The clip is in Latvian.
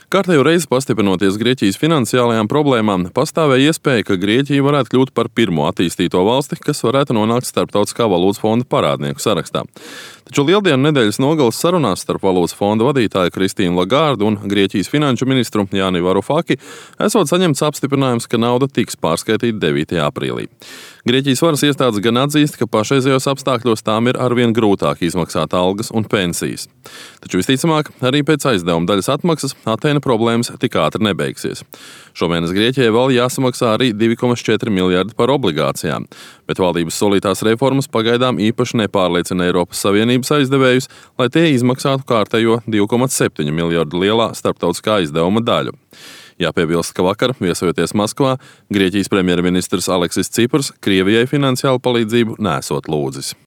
Kārtējo reizi pastiprinoties Grieķijas finansiālajām problēmām, pastāvēja iespēja, ka Grieķija varētu kļūt par pirmo attīstīto valsti, kas varētu nonākt Starptautiskā valūtas fonda parādnieku sarakstā. Taču Lieldienu nedēļas nogalas sarunās starp valūtas fonda vadītāju Kristīnu Lagārdu un Grieķijas finanšu ministru Jāni Varufaki esot saņemts apstiprinājums, ka nauda tiks pārskaitīta 9. aprīlī. Grieķijas varas iestādes gan atzīst, ka pašreizējos apstākļos tām ir arvien grūtāk izmaksāt algas un pensijas. Taču visticamāk, arī pēc aizdevuma daļas atmaksas Atēnu problēmas tik ātri nebeigsies. Šomēnes Grieķijai vēl jāsamaksā arī 2,4 miljardi par obligācijām, bet valdības solītās reformas pagaidām īpaši nepārliecina Eiropas Savienības aizdevējus, lai tie izmaksātu kārtējo 2,7 miljardu lielā starptautiskā aizdevuma daļu. Jāpiebilst, ka vakar, viesojoties Maskavā, Grieķijas premjerministrs Aleksis Ciprs Krievijai finansiālu palīdzību nesot lūdzis.